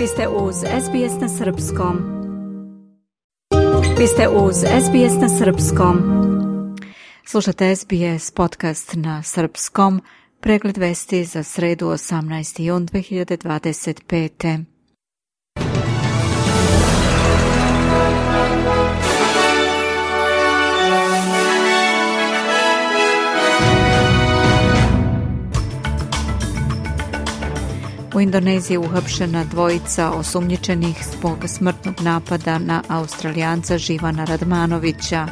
Vi ste uz SBS na Srpskom. Vi ste uz SBS na Srpskom. Slušate SBS podcast na Srpskom. Pregled vesti za sredu 18. jun 2025. U Indoneziji uhapšena dvojica osumnjičenih zbog smrtnog napada na Australijanca Živana Radmanovića.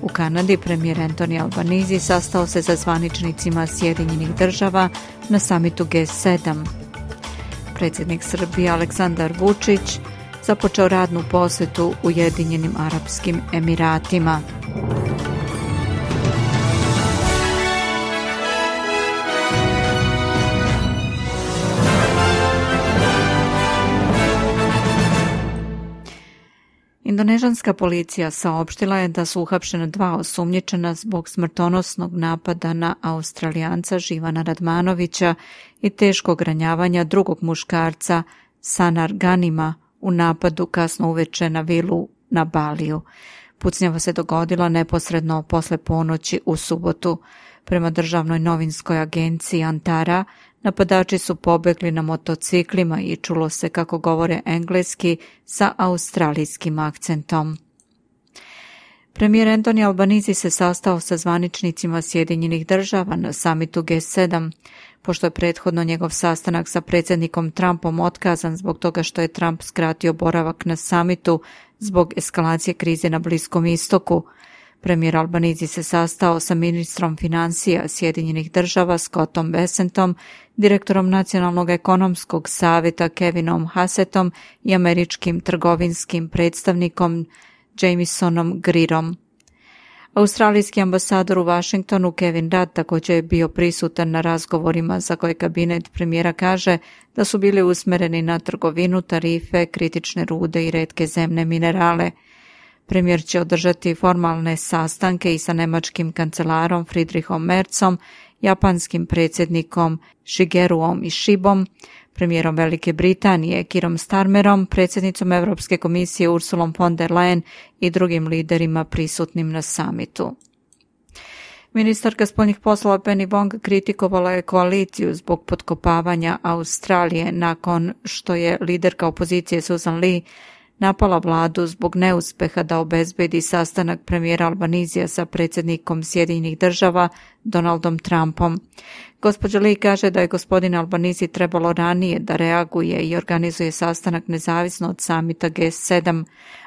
U Kanadi premijer Anthony Albanese sastao se sa zvaničnicima Sjedinjenih država na samitu G7. Predsjednik Srbije Aleksandar Vučić započeo radnu posjetu Ujedinjenim Arapskim Emiratima. Indonežanska policija saopštila je da su uhapšena dva osumnjičena zbog smrtonosnog napada na Australijanca Živana Radmanovića i teškog ranjavanja drugog muškarca Sanar Ganima u napadu kasno uveče na vilu na Baliju. Pucnjava se dogodila neposredno posle ponoći u subotu. Prema državnoj novinskoj agenciji Antara, napadači su pobegli na motociklima i čulo se kako govore engleski sa australijskim akcentom. Premijer Anthony Albanese se sastao sa zvaničnicima Sjedinjenih država na samitu G7, pošto je prethodno njegov sastanak sa predsjednikom Trumpom otkazan zbog toga što je Trump skratio boravak na samitu zbog eskalacije krize na Bliskom istoku. Premijer Albanese se sastao sa ministrom financija Sjedinjenih država Scottom Bessentom, direktorom Nacionalnog ekonomskog savjeta Kevinom Hassettom i američkim trgovinskim predstavnikom Jamesonom Greerom. Australijski ambasador u Washingtonu Kevin Rudd također je bio prisutan na razgovorima za koje kabinet premijera kaže da su bili usmjereni na trgovinu, tarife, kritične rude i retke zemne minerale. Premijer će održati formalne sastanke i sa nemačkim kancelarom Friedrichom Merzom, japanskim predsjednikom Shigeruom Ishibom, premijerom Velike Britanije Keerom Starmerom, predsjednicom Europske komisije Ursulom von der Leyen i drugim liderima prisutnim na samitu. Ministarka spoljnih poslova Penny Wong kritikovala je koaliciju zbog potkopavanja Australije nakon što je liderka opozicije Susan Lee napala vladu zbog neuspeha da obezbedi sastanak premijera Albanesija sa predsjednikom Sjedinjenih država Donaldom Trumpom. Gospođa Lee kaže da je gospodin Albanese trebalo ranije da reaguje i organizuje sastanak nezavisno od samita G7,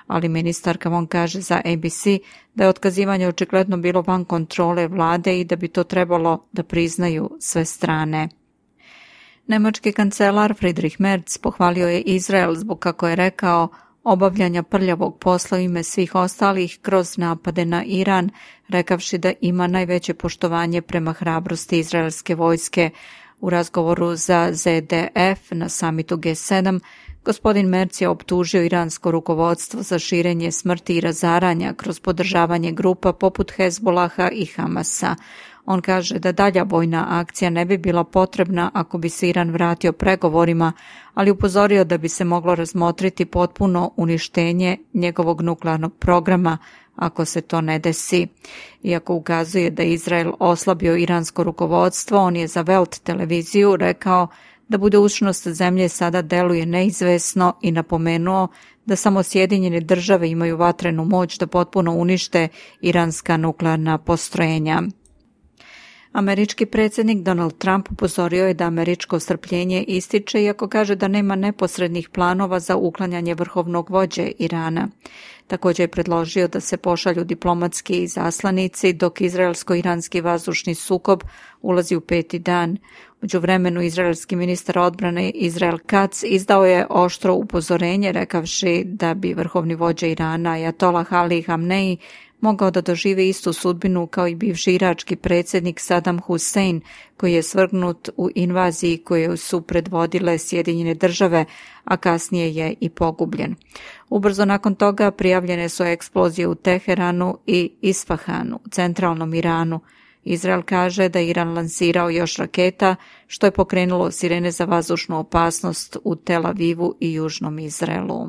ali ministarka Wong kaže za ABC da je otkazivanje očigledno bilo van kontrole vlade i da bi to trebalo da priznaju sve strane. Nemački kancelar Friedrich Merz pohvalio je Izrael zbog, kako je rekao, obavljanja prljavog posla u ime svih ostalih kroz napade na Iran, rekavši da ima najveće poštovanje prema hrabrosti izraelske vojske. U razgovoru za ZDF na samitu G7, gospodin Merz je optužio iransko rukovodstvo za širenje smrti i razaranja kroz podržavanje grupa poput Hezbolaha i Hamasa. On kaže da dalja vojna akcija ne bi bila potrebna ako bi se Iran vratio pregovorima, ali upozorio da bi se moglo razmotriti potpuno uništenje njegovog nuklearnog programa ako se to ne desi. Iako ukazuje da je Izrael oslabio iransko rukovodstvo, on je za Welt televiziju rekao da budućnost zemlje sada deluje neizvesno i napomenuo da samo Sjedinjene države imaju vatrenu moć da potpuno unište iranska nuklearna postrojenja. Američki predsjednik Donald Trump upozorio je da američko strpljenje ističe, iako kaže da nema neposrednih planova za uklanjanje vrhovnog vođe Irana. Također je predložio da se pošalju diplomatski izaslanici dok izraelsko-iranski vazdušni sukob ulazi u 5. dan. U međuvremenu izraelski ministar odbrane Israel Katz izdao je oštro upozorenje rekavši da bi vrhovni vođa Irana Ajatolah Ali Hamnei mogao da doživi istu sudbinu kao i bivši irački predsjednik Saddam Hussein, koji je svrgnut u invaziji koju su predvodile Sjedinjene države, a kasnije je i pogubljen. Ubrzo nakon toga prijavljene su eksplozije u Teheranu i Isfahanu, centralnom Iranu. Izrael kaže da je Iran lansirao još raketa, što je pokrenulo sirene za vazdušnu opasnost u Tel Avivu i južnom Izraelu.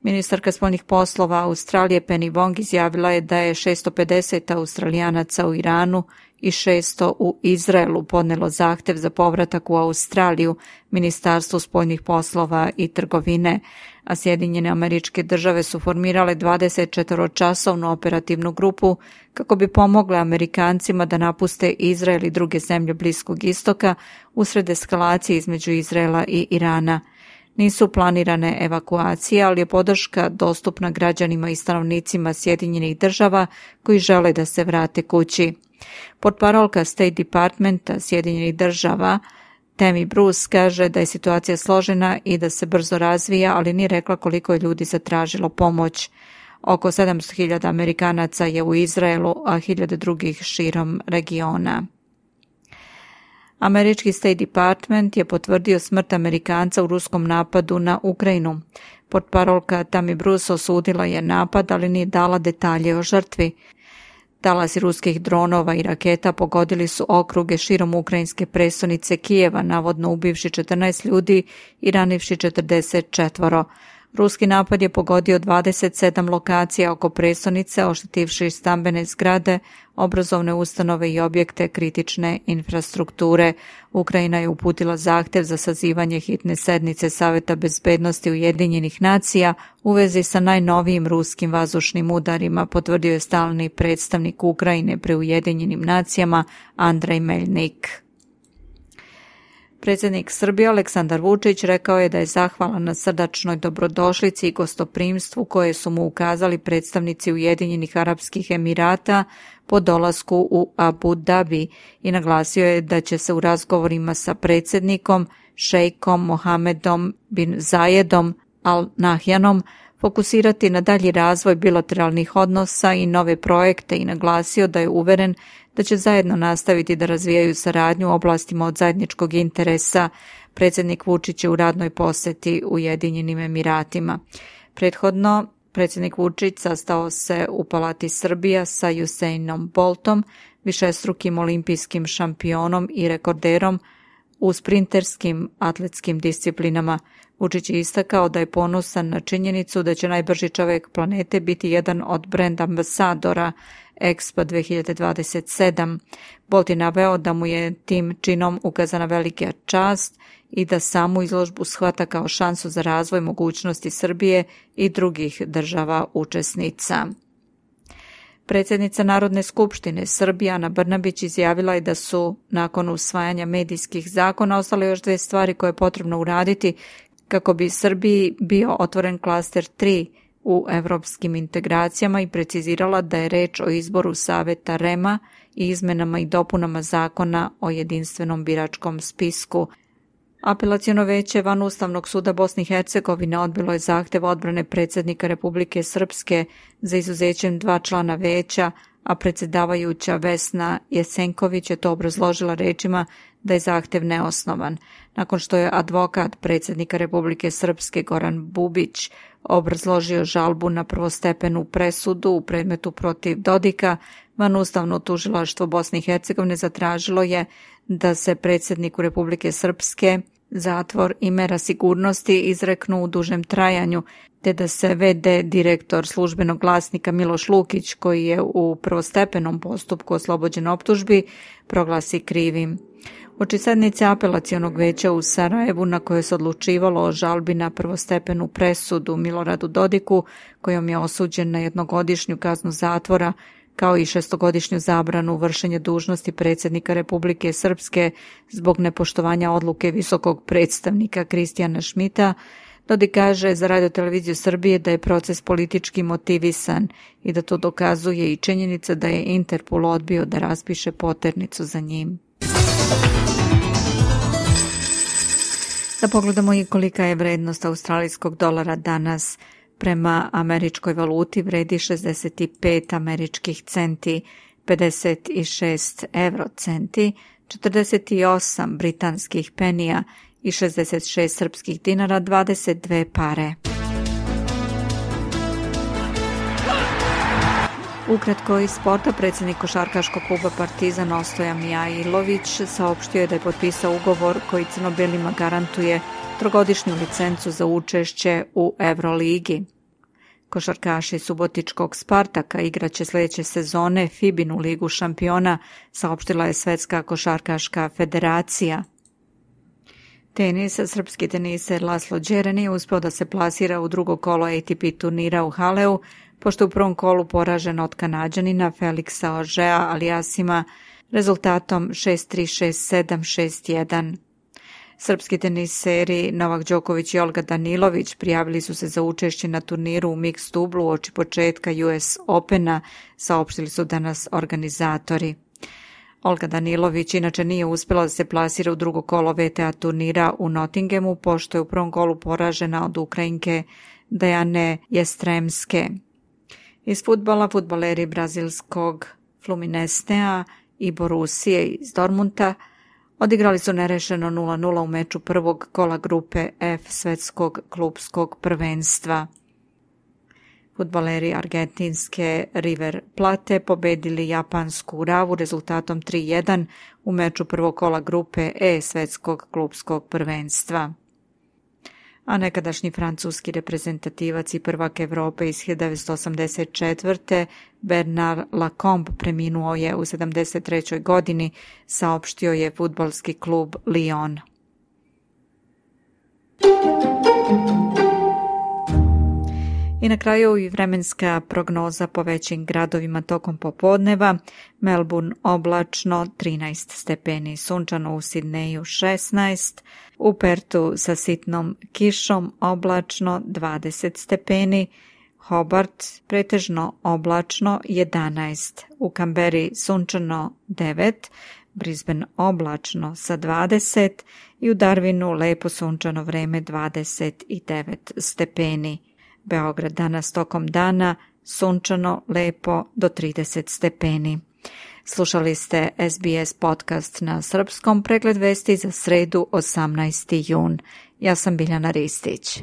Ministarka spoljnih poslova Australije Penny Wong izjavila je da je 650 Australijanaca u Iranu i 600 u Izraelu podnelo zahtev za povratak u Australiju Ministarstvu spoljnih poslova i trgovine, a Sjedinjene Američke Države su formirale 24-časovnu operativnu grupu kako bi pomogle Amerikancima da napuste Izrael i druge zemlje Bliskog istoka usred eskalacije između Izraela i Irana. Nisu planirane evakuacije, ali je podrška dostupna građanima i stanovnicima Sjedinjenih Država koji žele da se vrate kući. Portparolka State Departmenta Sjedinjenih Država Tammy Bruce kaže da je situacija složena i da se brzo razvija, ali nije rekla koliko je ljudi zatražilo pomoć. Oko 700.000 Amerikanaca je u Izraelu, a 1.000 drugih širom regiona. Američki State Department je potvrdio smrt Amerikanca u ruskom napadu na Ukrajinu. Portparolka Tammy Bruce osudila je napad, ali nije dala detalje o žrtvi. Talasi ruskih dronova i raketa pogodili su okruge širom ukrajinske prestonice Kijeva, navodno ubivši 14 ljudi i ranivši 44. Ruski napad je pogodio 27 lokacija oko prestonice, oštetivši stambene zgrade, obrazovne ustanove i objekte kritične infrastrukture. Ukrajina je uputila zahtev za sazivanje hitne sednice Saveta bezbednosti Ujedinjenih nacija u vezi sa najnovijim ruskim vazdušnim udarima, potvrdio je stalni predstavnik Ukrajine pri Ujedinjenim nacijama Andrej Meljnik. Predsjednik Srbije Aleksandar Vučić rekao je da je zahvalan na srdačnoj dobrodošlici i gostoprimstvu koje su mu ukazali predstavnici Ujedinjenih Arapskih Emirata po dolasku u Abu Dhabi i naglasio je da će se u razgovorima sa predsjednikom, šejkom Mohamedom bin Zayedom Al Nahjanom fokusirati na dalji razvoj bilateralnih odnosa i nove projekte i naglasio da je uveren da će zajedno nastaviti da razvijaju saradnju u oblastima od zajedničkog interesa. Predsjednik Vučić je u radnoj posjeti Ujedinjenim Emiratima. Prethodno, predsjednik Vučić sastao se u Palati Srbija sa Usainom Boltom, višestrukim olimpijskim šampionom i rekorderom u sprinterskim atletskim disciplinama. Vučić je istakao da je ponosan na činjenicu da će najbrži čovjek planete biti jedan od brand ambasadora Expo 2027. Bolt je naveo da mu je tim činom ukazana velika čast i da samu izložbu shvata kao šansu za razvoj mogućnosti Srbije i drugih država učesnica. Predsjednica Narodne skupštine Srbije Ana Brnabić izjavila je da su nakon usvajanja medijskih zakona ostale još 2 stvari koje je potrebno uraditi kako bi Srbiji bio otvoren klaster 3 u evropskim integracijama i precizirala da je reč o izboru Saveta REM-a i izmenama i dopunama zakona o jedinstvenom biračkom spisku. Apelaciono veće Vanustavnog suda Bosne i Hercegovine odbilo je zahtev odbrane predsjednika Republike Srpske za izuzećem 2 člana veća, a predsjedavajuća Vesna Jesenković je to obrazložila rečima da je zahtev neosnovan. Nakon što je advokat predsjednika Republike Srpske Goran Bubić obrazložio žalbu na prvostepenu presudu u predmetu protiv Dodika, Vanustavno tužilaštvo Bosne i Hercegovine zatražilo je da se predsjedniku Republike Srpske zatvor i mera sigurnosti izreknu u dužem trajanju, te da se VD direktor službenog glasnika Miloš Lukić, koji je u prvostepenom postupku oslobođen optužbi, proglasi krivim. Uoči sednice apelacionog veća u Sarajevu na kojoj se odlučivalo o žalbi na prvostepenu presudu Miloradu Dodiku, kojom je osuđen na 1-godišnju kaznu zatvora, kao i 6-godišnju zabranu vršenja dužnosti predsjednika Republike Srpske zbog nepoštovanja odluke visokog predstavnika Kristijana Šmita, Dodik kaže za Radio-televiziju Srbije da je proces politički motivisan i da to dokazuje i činjenica da je Interpol odbio da raspiše poternicu za njim. Da pogledamo i kolika je vrednost australijskog dolara danas. Prema američkoj valuti vredi 65 američkih centi, 56 eurocenti, 48 britanskih penija i 66 srpskih dinara, 22 pare. Ukratko iz sporta, predsjednik košarkaškog kluba Partizan Ostoja Mijailović saopštio je da je potpisao ugovor koji crno-belima garantuje trogodišnju licencu za učešće u Euroligi. Košarkaši subotičkog Spartaka igraće sljedeće sezone FIBA-inu ligu šampiona, saopštila je Svetska košarkaška federacija. Tenis, srpski teniser Laslo Đeren je uspio da se plasira u drugo kolo ATP turnira u Haleu, pošto je u prvom kolu poražen od Kanađanina Felixa Ožea Aliasima rezultatom 6-3, 6-7, 6-1. Srpski teniseri Novak Đoković i Olga Danilović prijavili su se za učešće na turniru u mix dublu uoči početka US Opena, saopštili su danas organizatori. Olga Danilović inače nije uspjela da se plasira u drugo kolo VTA turnira u Nottinghamu, pošto je u prvom kolu poražena od Ukrajinke Dejane Jestremske. Iz fudbala, fudbaleri brazilskog Fluminenea i Borusije iz Dortmunda odigrali su nerešeno 0-0 u meču prvog kola grupe F svetskog klupskog prvenstva. Fudbaleri argentinske River Plate pobedili japansku Uravu rezultatom 3-1 u meču prvog kola grupe E svetskog klupskog prvenstva. A nekadašnji francuski reprezentativac i prvak Evrope iz 1984. Bernard Lacombe preminuo je u 73. godini, saopštio je fudbalski klub Lyon. I na kraju i vremenska prognoza po većim gradovima tokom popodneva. Melbourne oblačno 13 stepeni, sunčano u Sidneju 16, u Pertu sa sitnom kišom oblačno 20 stepeni, Hobart pretežno oblačno 11, u Kamberi sunčano 9, Brisbane oblačno sa 20 i u Darwinu lepo sunčano vreme 29 stepeni. Beograd danas tokom dana sunčano, lepo do 30 stepeni. Slušali ste SBS podcast na srpskom, pregled vesti za sredu 18. jun. Ja sam Biljana Ristić.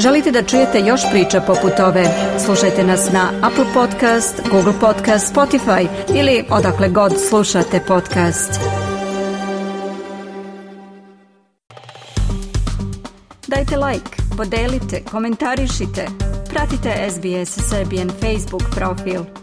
Želite da čujete još priča poput ove? Slušajte nas na Apple Podcast, Google Podcast, Spotify ili odakle god slušate podcast. Dajte like, podelite, komentarišite. Pratite SBS Serbian Facebook profil.